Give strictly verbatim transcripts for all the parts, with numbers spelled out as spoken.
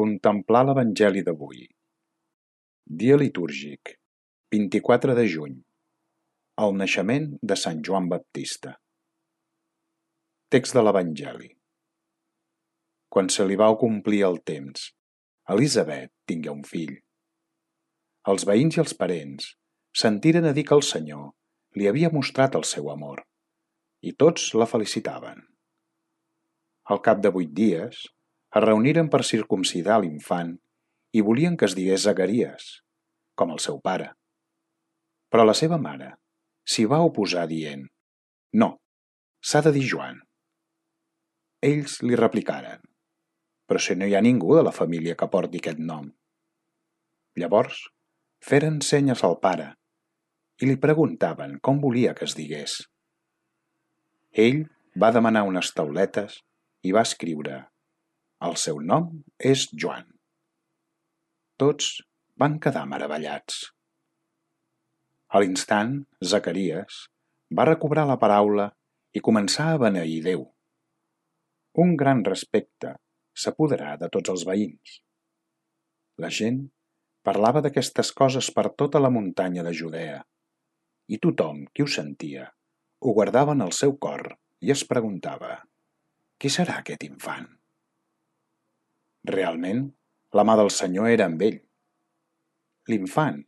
Contemplar l'Evangeli d'avui. Dia litúrgic, vint-i-quatre de juny, el naixement de Sant Joan Baptista. Text de l'Evangeli. Quan se li va complir el temps, Elisabet tingué un fill. Els veïns i els parents sentiren a dir que el Senyor li havia mostrat el seu amor, i tots la felicitaven. Al cap de vuit dies, es reuniren per circumcidar l'infant i volien que es digués Zacaries, com el seu pare. Però la seva mare s'hi va oposar dient: «No, s'ha de dir Joan». Ells li replicaren: «Però si no hi ha ningú de la família que porti aquest nom». Llavors feren senyes al pare i li preguntaven com volia que es digués. Ell va demanar unes tauletes i va escriure: «El seu nom és Joan». Tots van quedar meravellats. A l'instant, Zacaries va recobrar la paraula i començar a beneir Déu. Un gran respecte s'apoderà de tots els veïns. La gent parlava d'aquestes coses per tota la muntanya de Judea, i tothom qui ho sentia ho guardava en el seu cor i es preguntava: «Qui serà aquest infant?» Realment, la mà del Senyor era amb ell. L'infant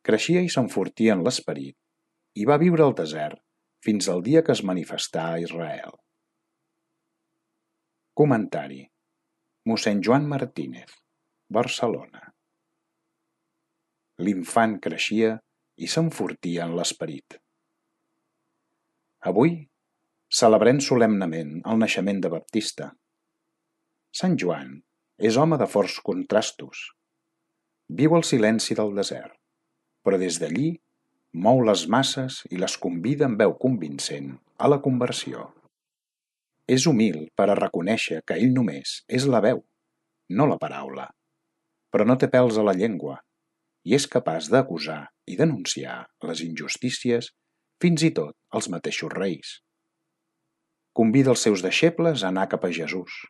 creixia i s'enfortia en l'esperit i va viure al desert fins al dia que es manifestà a Israel. Comentari: mossèn Joan Martínez, Barcelona. L'infant creixia i s'enfortia en l'esperit. Avui celebrem solemnement el naixement de Baptista. Sant Joan és home de forts contrastos. Viu al silenci del desert, però des d'allí mou les masses i les convida amb veu convincent a la conversió. És humil per a reconèixer que ell només és la veu, no la paraula, però no té pèls a la llengua i és capaç d'acusar i denunciar les injustícies fins i tot als mateixos reis. Convida els seus deixebles a anar cap a Jesús,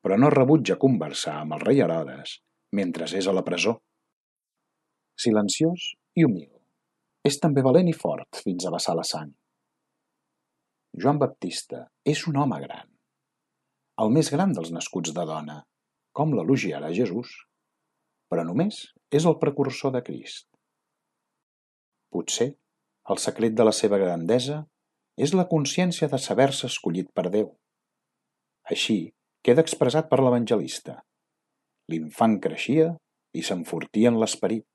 però no rebutja conversar amb el rei Herodes mentre és a la presó. Silenciós i humil, és també valent i fort fins a vessar la sang. Joan Baptista és un home gran, el més gran dels nascuts de dona, com l'elogiarà Jesús, però només és el precursor de Crist. Potser el secret de la seva grandesa és la consciència de saber-se escollit per Déu. Així queda expressat per l'evangelista. L'infant creixia i s'enfortia en l'esperit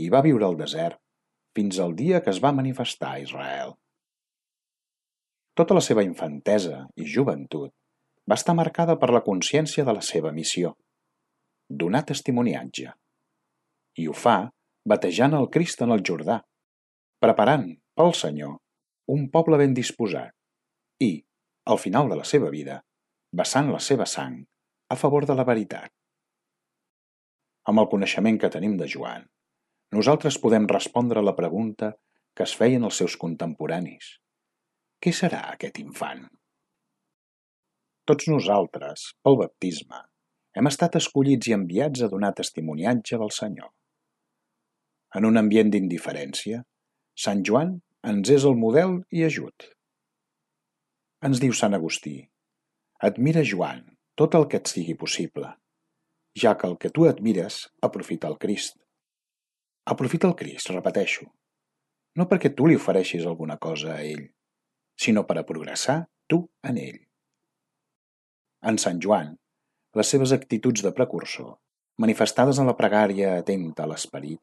i va viure al desert fins al dia que es va manifestar a Israel. Tota la seva infantesa i joventut va estar marcada per la consciència de la seva missió, donar testimoniatge. I ho fa batejant el Crist en el Jordà, preparant pel Senyor un poble ben disposat i, al final de la seva vida, vessant la seva sang a favor de la veritat. Amb el coneixement que tenim de Joan, nosaltres podem respondre a la pregunta que es feien els seus contemporanis: què serà aquest infant? Tots nosaltres, pel baptisme, hem estat escollits i enviats a donar testimoniatge del Senyor. En un ambient d'indiferència, Sant Joan ens és el model i ajut. Ens diu Sant Agustí: admira, Joan, tot el que et sigui possible, ja que el que tu admires aprofita el Crist. Aprofita el Crist, repeteixo, no perquè tu li ofereixis alguna cosa a ell, sinó per a progressar tu en ell. En Sant Joan, les seves actituds de precursor, manifestades en la pregària atenta a l'esperit,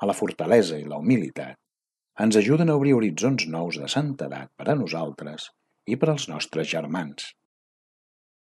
a la fortalesa i la humilitat, ens ajuden a obrir horitzons nous de santedat per a nosaltres i per als nostres germans.